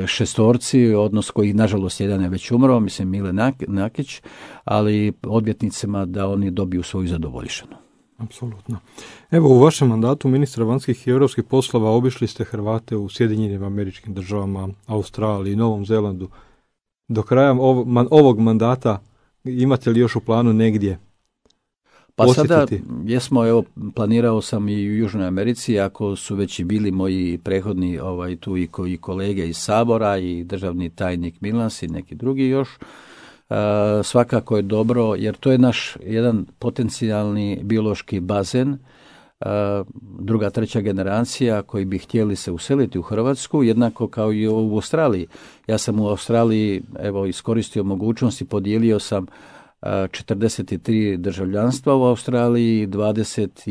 šestorci, odnos koji nažalost jedan je već umro, mislim Mile Nakić, ali odvjetnicima da oni dobiju svoju zadovoljštinu. Apsolutno. Evo, u vašem mandatu ministra vanjskih i europskih poslova obišli ste Hrvate u Sjedinjenim Američkim Državama, Australiji, Novom Zelandu. Do kraja ovog mandata imate li još u planu negdje Pa posjetiti? sada jesmo, evo, planirao sam i u Južnoj Americi, ako su već i bili moji prethodni ovaj, tu i, ko, i kolege iz Sabora i državni tajnik Milans i neki drugi još, e, svakako je dobro, jer to je naš jedan potencijalni biološki bazen, e, druga, treća generacija koji bi htjeli se useliti u Hrvatsku, jednako kao i u Australiji. Ja sam u Australiji, evo, iskoristio mogućnost i podijelio sam četrdeset tri državljanstva u Australiji, dvadeset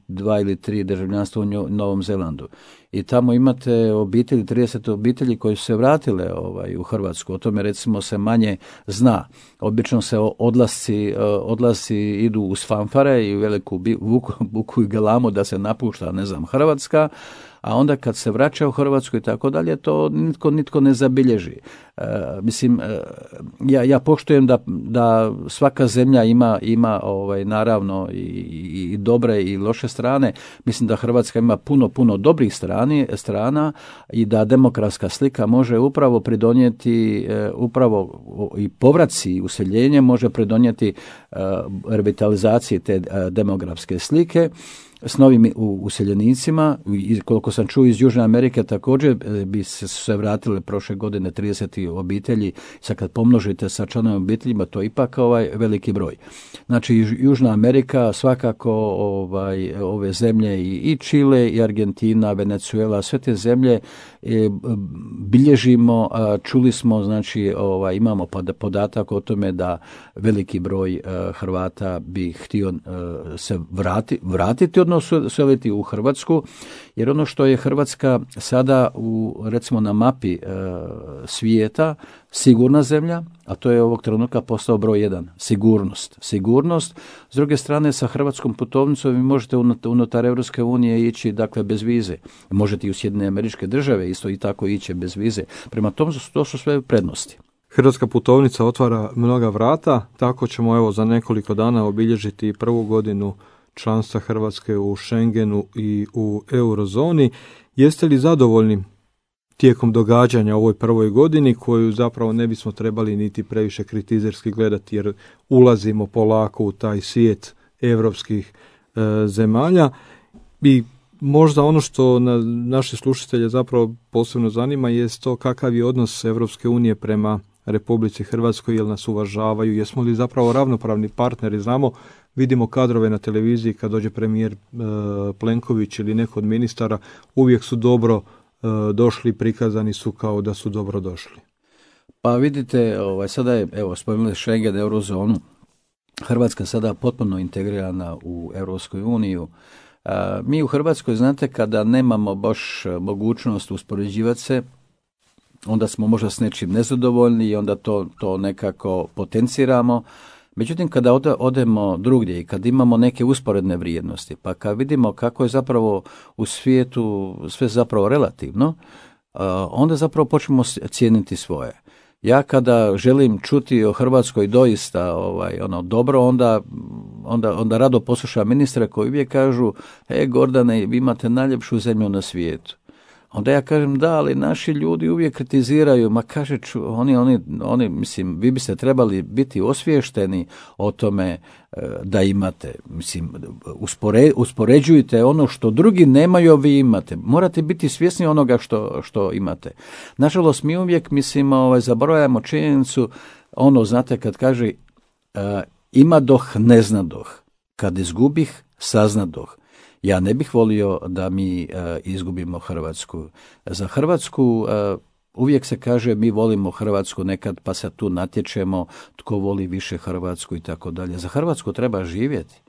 dva ili tri državljanstva u Novom Zelandu. i tamo imate obitelji, trideset obitelji koji su se vratile ovaj, u Hrvatsku. O tome recimo se manje zna. Obično se odlasci, odlasci idu uz fanfare i u veliku buku, buku i galamu da se napušta, ne znam, Hrvatska, a onda kad se vraća u Hrvatsku i tako dalje, to nitko, nitko ne zabilježi. E, mislim, e, ja, ja poštujem da, da svaka zemlja ima, ima ovaj, naravno i, i dobre i loše strane. Mislim da Hrvatska ima puno, puno dobrih strani, strana i da demokratska slika može upravo pridonijeti, e, upravo i povraci i useljenje može pridonijeti e, revitalizaciji te e, demografske slike s novim useljenicima. Koliko sam čuo iz Južne Amerike također bi se, se vratile prošle godine trideset obitelji. Sad kad pomnožite sa članovima obiteljima, to je ipak ovaj veliki broj. Znači Južna Amerika svakako ovaj, ove zemlje i, i Čile i Argentina, Venezuela, sve te zemlje e, bilježimo, a, čuli smo, znači ovaj, imamo podatak o tome da veliki broj a, Hrvata bi htio a, se vrati, vratiti od seliti u Hrvatsku, jer ono što je Hrvatska sada u, recimo na mapi e, svijeta, sigurna zemlja, a to je ovog trenutka postao broj jedan, sigurnost. Sigurnost, s druge strane sa hrvatskom putovnicom vi možete unutar Europske unije ići, dakle, bez vize. Možete i u Sjedinjene Američke Države isto i tako ići bez vize. Prema tomu to su sve prednosti. Hrvatska putovnica otvara mnoga vrata, tako ćemo evo za nekoliko dana obilježiti prvu godinu članstva Hrvatske u Schengenu i u eurozoni. Jeste li zadovoljni tijekom događanja u ovoj prvoj godini, koju zapravo ne bismo trebali niti previše kritizerski gledati, jer ulazimo polako u taj svijet europskih e, zemalja? I možda ono što na naše slušatelje zapravo posebno zanima je to kakav je odnos Europske unije prema Republici Hrvatskoj, jel nas uvažavaju, jesmo li zapravo ravnopravni partneri. Znamo, vidimo kadrove na televiziji kad dođe premijer e, Plenković ili neko od ministara, uvijek su dobro e, došli, prikazani su kao da su dobro došli. Pa vidite, ovaj, sada je, evo, spomenuli Schengen, eurozonu, Hrvatska sada potpuno integrirana u Europskoj uniju. A, mi u Hrvatskoj, znate, kada nemamo baš mogućnost uspoređivati se, onda smo možda s nečim nezadovoljni i onda to, to nekako potenciramo. Međutim, kada ode, odemo drugdje i kad imamo neke usporedne vrijednosti, pa kad vidimo kako je zapravo u svijetu sve zapravo relativno, uh, onda zapravo počnemo cijeniti svoje. Ja kada želim čuti o Hrvatskoj doista ovaj, ono, dobro, onda, onda, onda rado poslušam ministre koji uvijek kažu: e, Gordane, vi imate najljepšu zemlju na svijetu. Onda ja kažem: da, ali naši ljudi uvijek kritiziraju. Ma kaže, ču, oni, oni, oni, mislim, vi biste trebali biti osviješteni o tome e, da imate. Mislim, uspore, uspoređujte ono što drugi nemaju, a vi imate. Morate biti svjesni onoga što, što imate. Nažalost, mi uvijek, mislim, ovaj, zaboravljamo činjenicu, ono, znate, kad kaže e, ima doh, ne zna doh. Kad izgubih, sazna doh. Ja ne bih volio da mi uh, izgubimo Hrvatsku. Za Hrvatsku uh, uvijek se kaže mi volimo Hrvatsku nekad, pa se tu natječemo tko voli više Hrvatsku i tako dalje. Za Hrvatsku treba živjeti.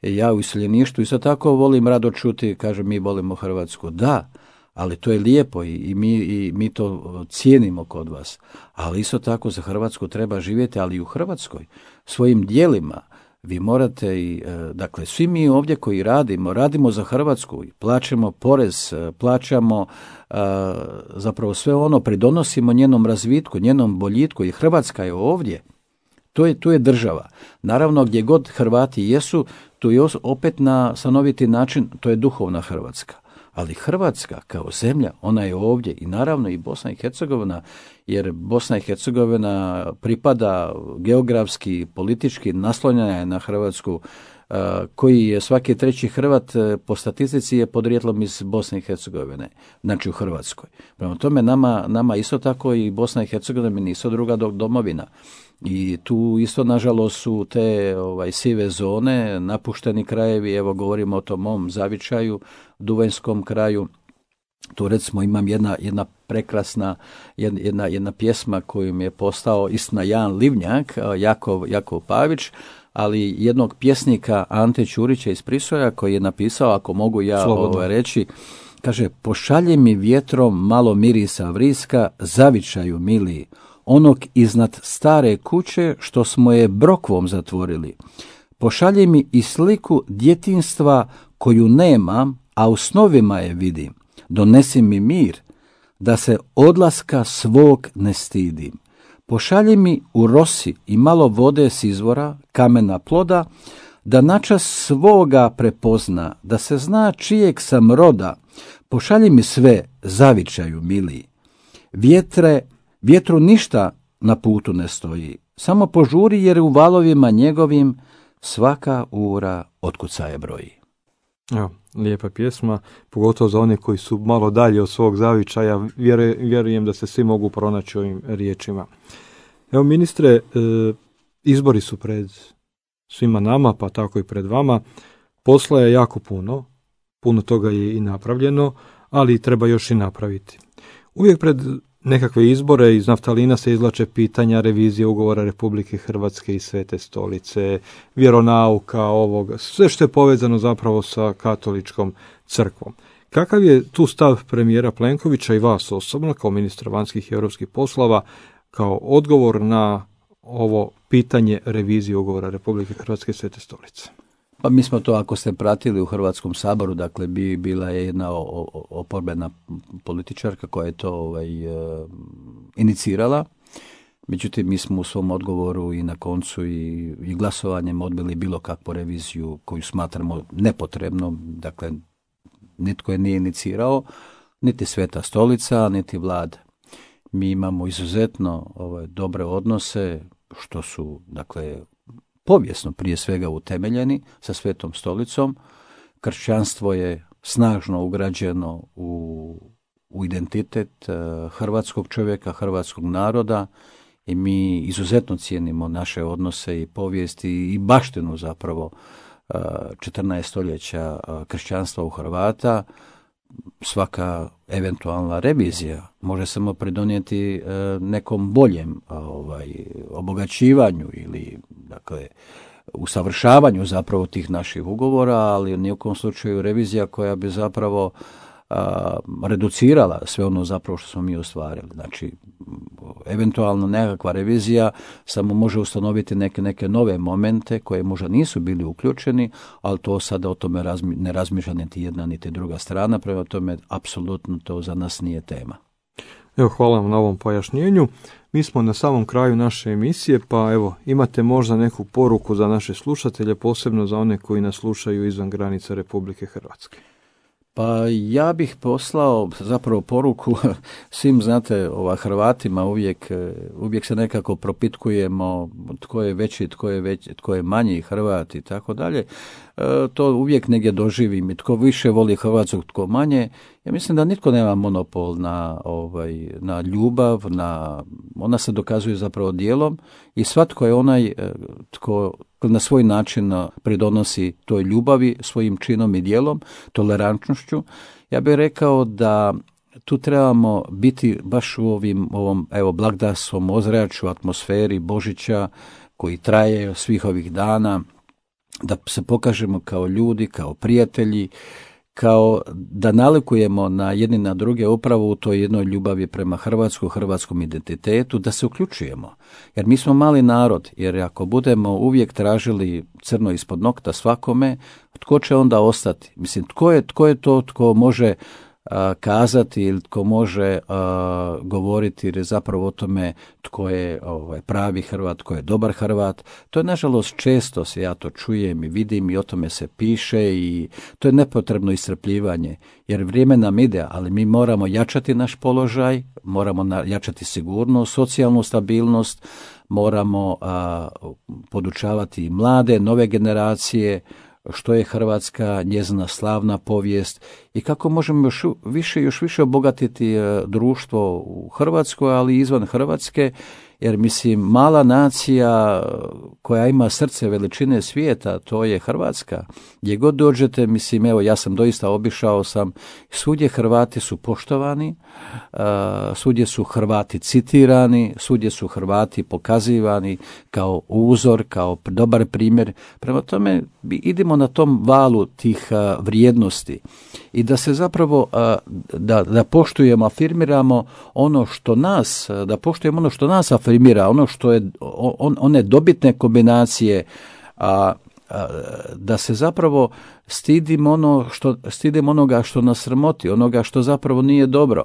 Ja u iseljeništvu isto tako volim rado čuti, kaže mi volimo Hrvatsku. Da, ali to je lijepo i, i, mi, i mi to cijenimo kod vas. Ali isto tako za Hrvatsku treba živjeti, ali i u Hrvatskoj svojim djelima. Vi morate i, dakle, svi mi ovdje koji radimo, radimo za Hrvatsku, plaćamo porez, plaćamo zapravo sve ono, pridonosimo njenom razvitku, njenom boljitku i Hrvatska je ovdje. To je, tu je država. Naravno, gdje god Hrvati jesu, tu je opet na stanoviti način, to je duhovna Hrvatska. Ali Hrvatska kao zemlja, ona je ovdje i naravno i Bosna i Hercegovina, jer Bosna i Hercegovina pripada geografski, politički, naslonjena je na Hrvatsku, koji je svaki treći Hrvat po statistici je podrijetlom iz Bosne i Hercegovine, znači u Hrvatskoj. Prema tome nama, nama isto tako i Bosna i Hercegovina nisu druga domovina. I tu isto nažalost su te ovaj, sive zone, napušteni krajevi, evo govorimo o tom mom zavičaju, Duvanjskom kraju. Tu recimo imam jedna, jedna prekrasna, jedna, jedna pjesma koju mi je postao istina Jan Livnjak, Jakov, Jakov Pavić, ali jednog pjesnika Ante Ćurića iz Prisoja koji je napisao, ako mogu ja ovaj, reći, Kaže, pošalji mi vjetrom malo mirisa vriska, zavičaju mili, onog iznad stare kuće što smo je brokvom zatvorili. Pošalji mi i sliku djetinstva koju nemam, a u snovima je vidim. Donesi mi mir, da se odlaska svog ne stidim. Pošalji mi u rosi i malo vode s izvora, kamena ploda, da načas svoga prepozna, da se zna čijeg sam roda. Pošalji mi sve, zavičaju mili. Vjetre, vjetru ništa na putu ne stoji, samo požuri jer u valovima njegovim svaka ura otkucaje broji. Evo, lijepa pjesma, pogotovo za one koji su malo dalje od svog zavičaja, vjere, vjerujem da se svi mogu pronaći ovim riječima. Evo, ministre, e, izbori su pred svima nama, pa tako i pred vama. Posla je jako puno, puno toga je i napravljeno, ali treba još i napraviti. Uvijek pred nekakve izbore iz naftalina se izvlače pitanja revizije ugovora Republike Hrvatske i Svete Stolice, vjeronauka, ovoga, sve što je povezano zapravo sa katoličkom crkvom. Kakav je tu stav premijera Plenkovića i vas osobno kao ministra vanjskih i europskih poslova kao odgovor na ovo pitanje revizije ugovora Republike Hrvatske i Svete Stolice? Pa mi smo to, ako ste pratili u Hrvatskom saboru, dakle bi bila je jedna o, o, oporbena političarka koja je to ovaj, e, inicirala. Međutim, mi smo u svom odgovoru i na koncu i, i glasovanjem odbili bilo kakvu reviziju koju smatramo nepotrebnom. Dakle, nitko je nije inicirao, niti Sveta Stolica, niti vlada. Mi imamo izuzetno ovaj, dobre odnose, što su, dakle, povijesno prije svega utemeljeni sa Svetom Stolicom. Kršćanstvo je snažno ugrađeno u, u identitet uh, hrvatskog čovjeka, hrvatskog naroda i mi izuzetno cijenimo naše odnose i povijesti i baštinu zapravo uh, četrnaest stoljeća uh, kršćanstva u Hrvata. Svaka eventualna revizija može samo pridonijeti uh, nekom boljem ovaj, obogaćivanju ili dakle usavršavanju zapravo tih naših ugovora, ali ni u kom slučaju revizija koja bi zapravo a, reducirala sve ono zapravo što smo mi ostvarili. Znači, eventualno nekakva revizija samo može ustanoviti neke, neke nove momente koje možda nisu bili uključeni, ali to sada o tome razmi, ne razmišlja niti jedna niti druga strana, prema tome apsolutno to za nas nije tema. Evo, hvala vam na ovom pojašnjenju. Mi smo na samom kraju naše emisije, pa evo, imate možda neku poruku za naše slušatelje, posebno za one koji nas slušaju izvan granica Republike Hrvatske. Pa ja bih poslao zapravo poruku svim, znate, ova Hrvatima uvijek, uvijek se nekako propitkujemo tko je veći, tko je veći, tko je manji Hrvat i tako dalje. To uvijek negdje doživim i tko više voli Hrvatskog, tko manje. Ja mislim da nitko nema monopol na, ovaj, na ljubav, na, ona se dokazuje zapravo djelom i svatko je onaj tko na svoj način pridonosi toj ljubavi svojim činom i djelom, tolerantnošću. Ja bih rekao da tu trebamo biti baš u ovim, ovom evo, blagdanskom ozračju, atmosferi Božića koji traje svih ovih dana, da se pokažemo kao ljudi, kao prijatelji, kao da nalikujemo na jedni na druge upravo u toj jednoj ljubavi prema Hrvatsku, hrvatskom identitetu, da se uključujemo. Jer mi smo mali narod, jer ako budemo uvijek tražili crno ispod nokta svakome, tko će onda ostati? Mislim, tko je, tko je to tko može a, kazati ili tko može a, govoriti ili zapravo o tome tko je ovaj, pravi Hrvat, tko je dobar Hrvat. To je nažalost često se ja to čujem i vidim i o tome se piše i to je nepotrebno iscrpljivanje jer vrijeme nam ide, ali mi moramo jačati naš položaj, moramo na, jačati sigurnost, socijalnu stabilnost, moramo a, podučavati mlade, nove generacije, što je Hrvatska, njezina slavna povijest i kako možemo još više, još više obogatiti društvo u Hrvatskoj, ali i izvan Hrvatske, jer mislim mala nacija koja ima srce veličine svijeta, to je Hrvatska. Gdje god dođete, mislim, evo ja sam doista obišao sam, svugdje Hrvati su poštovani, svugdje su Hrvati citirani, svugdje su Hrvati pokazivani kao uzor, kao dobar primjer. Prema tome idemo na tom valu tih vrijednosti i da se zapravo a, da, da poštujemo, afirmiramo ono što nas, da poštujemo ono što nas afirmira, ono što je on, one dobitne kombinacije, a, a, da se zapravo stidimo ono što stidimo onoga što nas sramoti, onoga što zapravo nije dobro.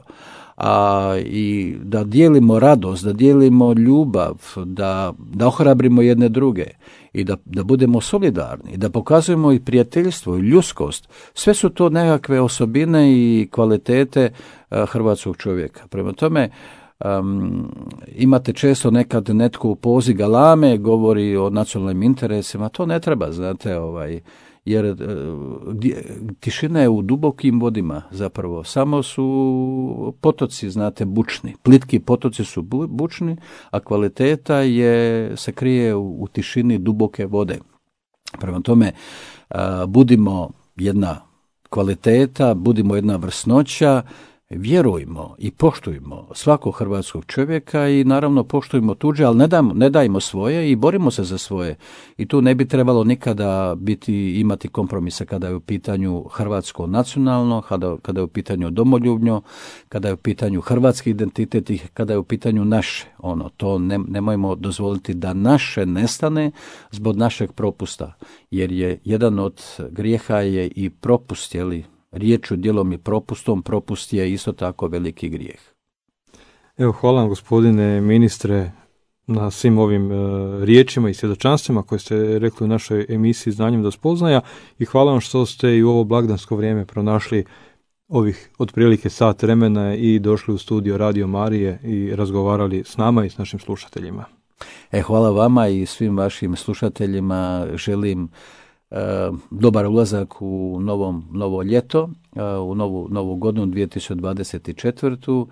A, i da dijelimo radost, da dijelimo ljubav, da, da ohrabrimo jedne druge i da, da budemo solidarni, da pokazujemo i prijateljstvo i ljudskost. Sve su to nekakve osobine i kvalitete a, hrvatskog čovjeka. Prema tome, um, imate često nekad netko u pozi galame, govori o nacionalnim interesima, to ne treba, znate, ovaj, jer e, tišina je u dubokim vodima zapravo, samo su potoci, znate, bučni, plitki potoci su bu, bučni, a kvaliteta je, se krije u, u tišini duboke vode. Prema tome, a, budimo jedna kvaliteta, budimo jedna vrsnoća, vjerujmo i poštujmo svakog hrvatskog čovjeka i naravno poštujmo tuđe, ali ne, dajmo, ne dajmo svoje i borimo se za svoje. I tu ne bi trebalo nikada biti, imati kompromisa kada je u pitanju hrvatsko nacionalno, kada, kada je u pitanju domoljubno, kada je u pitanju hrvatski identitet i kada je u pitanju naše. Ono, to ne, nemojmo dozvoliti da naše nestane zbog našeg propusta, jer je jedan od grijeha je i propust, jeli, riječu, djelom i propustom, propust je isto tako veliki grijeh. Evo, hvala vam, gospodine ministre, na svim ovim e, riječima i svjedočanstvima koje ste rekli u našoj emisiji Znanjem do spoznaja i hvala vam što ste i u ovo blagdansko vrijeme pronašli ovih otprilike sat vremena i došli u studio Radio Marije i razgovarali s nama i s našim slušateljima. E, hvala vama i svim vašim slušateljima, želim dobar ulazak u novom, novo ljeto, u novu, novu godinu dvije tisuće dvadeset četvrtu.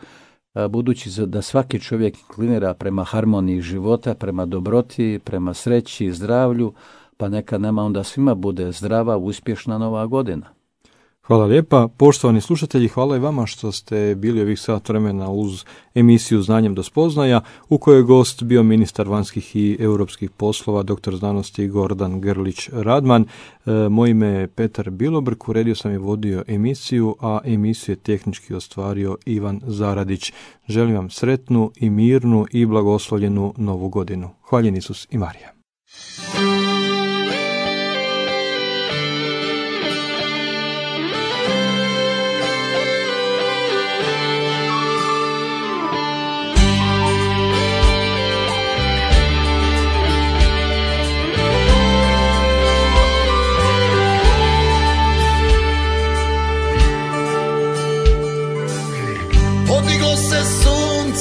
Budući da svaki čovjek inklinira prema harmoniji života, prema dobroti, prema sreći i zdravlju, pa neka nama onda svima bude zdrava, uspješna nova godina. Hvala lijepa. Poštovani slušatelji, hvala i vama što ste bili ovih sat vremena uz emisiju Znanjem do spoznaja, u kojoj je gost bio ministar vanjskih i europskih poslova, doktor znanosti Gordan Grlić Radman. E, moje ime je Petar Bilobrk, uredio sam i vodio emisiju, a emisiju je tehnički ostvario Ivan Zaradić. Želim vam sretnu i mirnu i blagoslovljenu novu godinu. Hvaljen Isus i Marija.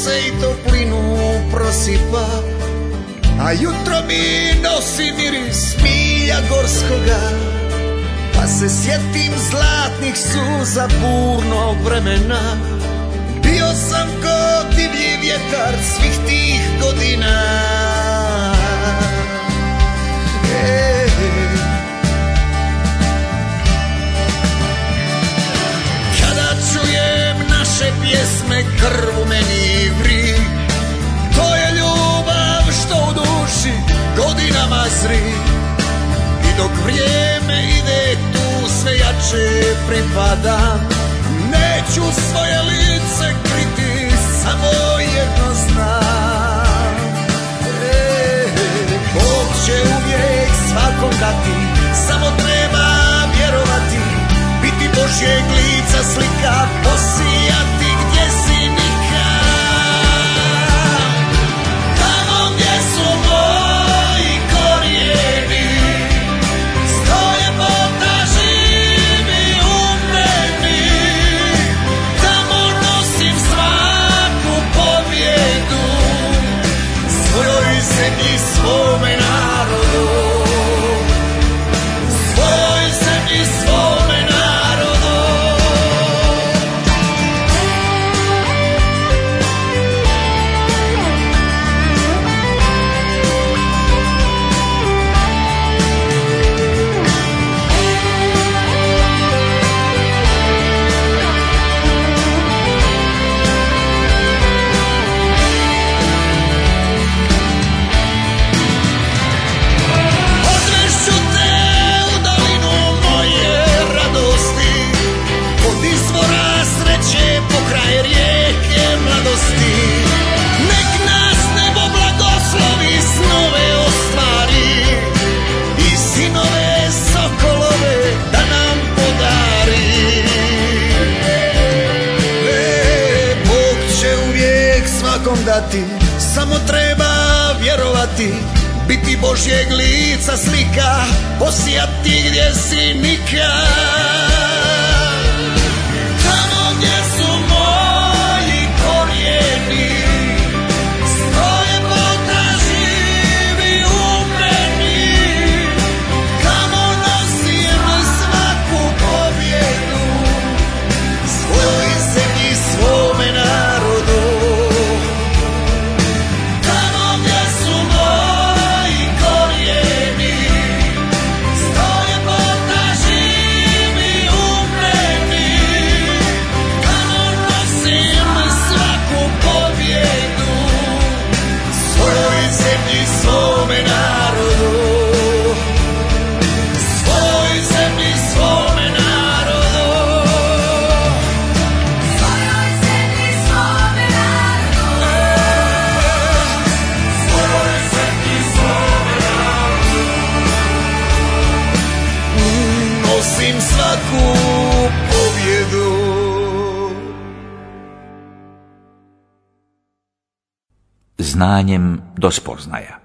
I toplinu prosipa, a jutro mi nosi miris milja gorskoga, pa se sjetim zlatnih suza burnog vremena. Bio sam ko divlji vjetar svih tih godina. E, kada čujem naše pjesme, krv u meni vri. To je ljubav što u duši godinama zri. I dok vrijeme ide tu sve jače pripadam. Neću svoje lice kriti, samo jedno znam. E, Bog će uvijek svakom dati, samo treba vjerovati. Biti Božjeg lica slika, posijati gdje si nikad. Tamo gdje su moji korijeni, stoje ljepota živi u meni. Tamo vjerovati, samo treba vjerovati, biti Božjeg lica slika, posijati gdje si nikad. Tamo gdje su moji korijeni, stoje potraži živi u meni, kamo nosim svaku pobjedu, svojoj zemlji, svome narodu. Tamo gdje su moji korijeni, stoje potraži živi u meni, kamo nosim svaku pobjedu, svojoj zemlji, svome narodu. Svojoj zemlji, svome narodu. Svojoj zemlji, svome narodu. Svojoj zemlji, svome narodu. Nosim svaku pobjedu. Znanjem do spoznaja.